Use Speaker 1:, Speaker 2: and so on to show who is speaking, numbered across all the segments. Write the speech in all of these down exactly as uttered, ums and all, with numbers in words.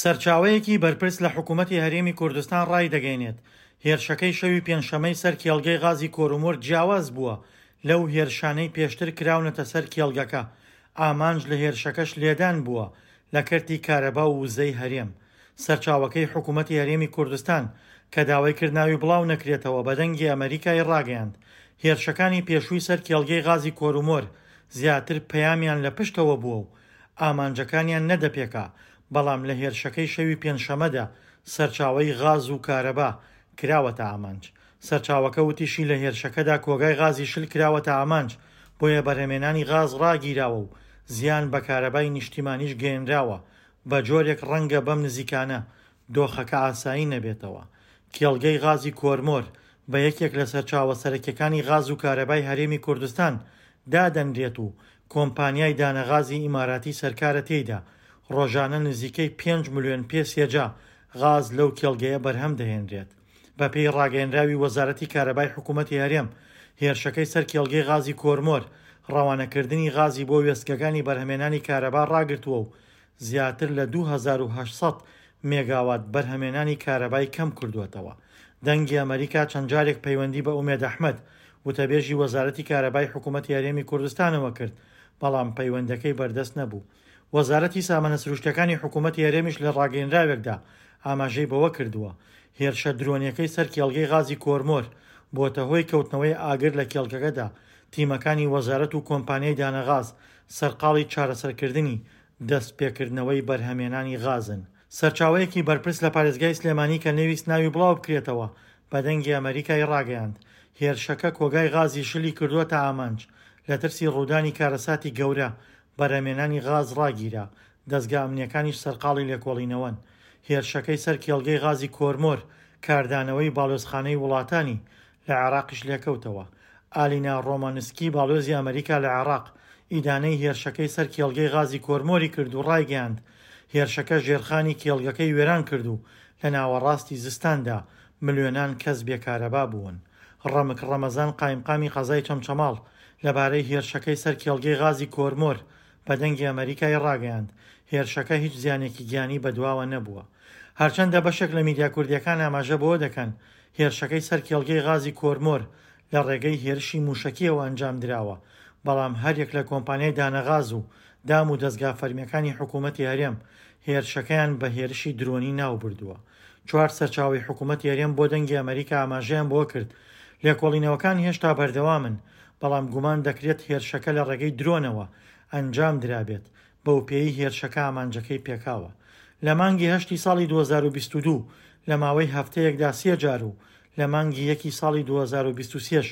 Speaker 1: سەرچاوەیەکی بەرپرس لە حکوومەتی هەرێمی کوردستان ڕایدەگەیەنێت، هێرشەکەی شەوی پێنجشەممەی سەر کێڵگەی غازی کۆرمۆر جیاواز بووە لەو هێرشانەی پێشتر کراونەتە سەر کێڵگەکە، ئامانج لە هێرشەکەش لێدان بووە لە کەرتی کارەبا و وزەی هەرێم. سەرچاوەکەی حکوومەتی هەرێمی کوردستان کە داوای کرد ناوی بڵاو نەکرێتەوە بە دەنگی ئەمەریکای ڕاگەیاند، هێرشەکانی پێشووی سەر کێڵگەی غازی کۆرمۆر زیاتر پەیامیان لە پشتەوە بووە و ئامانجەکانیان نەدەپێکا، بەڵام لە هێرشەکەی شەوی پێنجشەممەدا سەرچاوەی غاز و کارەبا کراوەتە ئامانج. سەرچاوەکە وتیشی لە هێرشەکەدا کۆگای غازی شل کراوەتە ئامانج، بۆیە بەرهەمێنانی غاز ڕاگیراوە و زیان بە کارەبای نیشتیمانیش گەیەنراوە، بە جۆرێک ڕەنگە بەم نزیکانە دۆخەکە ئاسایی نەبێتەوە. کێڵگەی غازی کۆرمۆر بە یەکێک لە سەرچاوە سەرەکیەکانی غاز و کارەبای هەرێمی کوردستان دادەنرێت و کۆمپانیای دانەغازی ئیماراتی سەرکارە تێیدا ڕۆژانە نزیکەی پێنج ملیۆن پێ سێجا غاز لەو کێڵگەیە بەرهەم دەهێنرێت. بەپێی ڕاگەیەنراوی وەزارەتی کارەبای حکوومەتی هەرێم، هێرشەکەی سەر کێڵگەی غازی کۆرمۆر ڕەوانەکردنی غازی بۆ وێستگەکانی بەرهەمێنانی کارەبا ڕاگرتووە و زیاتر لە دوو هەزار و هەشت سەد مێگاوات بەرهەمێنانی کارەبای کەم کردووەتەوە. دەنگی ئەمەریکا چەند جارێک پەیوەندی بە ئومێد ئەحمەد وتەبێژی وەزارەتی کارەبای حکوومەتی هەرێمی کوردستانەوە کرد، بەڵام پەیوەندەکەی بەردەست نەبوو. وەزارەتی سامانە سروشتەکانی حکوومەتی هەرێمیش لە ڕاگەیەنراوێکدا ئاماژەی بەوە کردووە، هێرشە درۆنیەکەی سەر کێڵگەی غازی کۆرمۆر بۆتە هۆی کەوتنەوەی ئاگر لە کێڵگەکەدا. تیمەکانی وەزارەت و کۆمپانیای دانەغاز سەرقاڵی چارەسەرکردنی دەست پێکردنەوەی بەرهەمێنانی غازن. سەرچاوەیەکی بەرپرس لە پارێزگای سلێمانی کە نەویست ناوی بڵاو بکرێتەوە بە دەنگی ئەمەریکای ڕاگەیاند، هێرشەکە کۆگای غازی شلی کردووەتە ئامانج، لە ترسی ڕوودانی کارەساتی گەورە بەرهەمێنانی غاز ڕاگیرا، دەزگا ئەمنیەکانیش سەرقاڵی لێکۆڵینەوەن. هێرشەکەی سەر کێڵگەی غازی کۆرمۆر کاردانەوەی باڵیۆزخانەی وڵاتانی لە عێراقیش لێکەوتەوە. ئالینا ڕۆمانسکی باڵیۆزی ئەمریکا لە عێراق ئیدانەی هێرشەکەی سەر کێڵگەی غازی کۆرمۆری کرد و ڕایگەیاند، هێرشەکە ژێرخانی کێڵگەکەی وێران کرد و لە ناوەڕاستی زستاندا ملیۆنان کەس بێکارەبا بوون. ڕەمک ڕەمەزان قایمقامی قەزای چەمچەماڵ لەبارەی هێرشەکەی سەر کێڵگەی غازی کۆرمۆر بە دەنگی ئەمەریکای ڕاگەیاند، هێرشەکە هیچ زیانێکی گیانی بەدواوە نەبووە. هەرچەندە بەشێک لە میدیا کوردیەکان ئاماژە بەوە دەکەن هێرشەکەی سەر کێڵگەی غازی کۆرمۆر لە ڕێگەی هێرشی موشەکیەوە ئەنجام دراوە، بەڵام هەریەک لە کۆمپانیای دانەغاز و دام و دەزگا فەرمیەکانی حکوومەتی هەرێم هێرشەکەیان بە هێرشی درۆنی ناو بردووە. چوار سەرچاوەی حکوومەتی هەرێم بۆ دەنگی ئەمەریکا ئاماژەیان بۆ کرد، لێکۆڵینەوەکان هێشتا بەردەوامن، بەڵام گومان دەکرێت هێرشەکە لە ڕێگەی درۆنەوە ئەنجام درابێت، بەو پێی هێرشەکە ئامانجەکەی پێکاوە. لە مانگی هەشتی ساڵی دوو هەزار و بیست و دوو لە ماوەی هەفتەیەکدا سێ جار و لە مانگی یەکی ساڵی دوو هەزار و بیست و سێش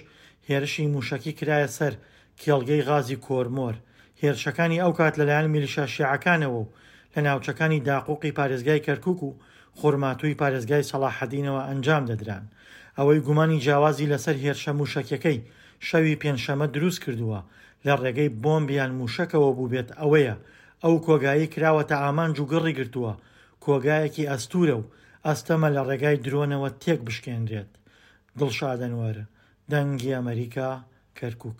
Speaker 1: هێرشی موشەکی کرایە سەر کێڵگەی غازی کۆرمۆر. هێرشەکانی ئەو کات لەلایەن میلیشیا شیعەکانەوە و لە ناوچەکانی داقوقی پارێزگای کەرکوک و خورماتووی پارێزگای سەڵاحەدینەوە ئەنجام دەدران. ئەوەی گومانی جیاوازی لەسەر هێرشە موشەکیەکەی شەوی پێنجشەممە دروست کردووە لە ڕێگەی بۆمب یان موشەکەوە بوو بێت ئەوەیە ئەو کۆگایی کراوەتە ئامانج و گڕی گرتووە، کۆگایەکی ئەستورە و ئەستەمە لە ڕێگای درۆنەوە تێک بشکێنرێت. دڵشاد ئەنوەر، دەنگی ئەمەریکا، کەرکوک.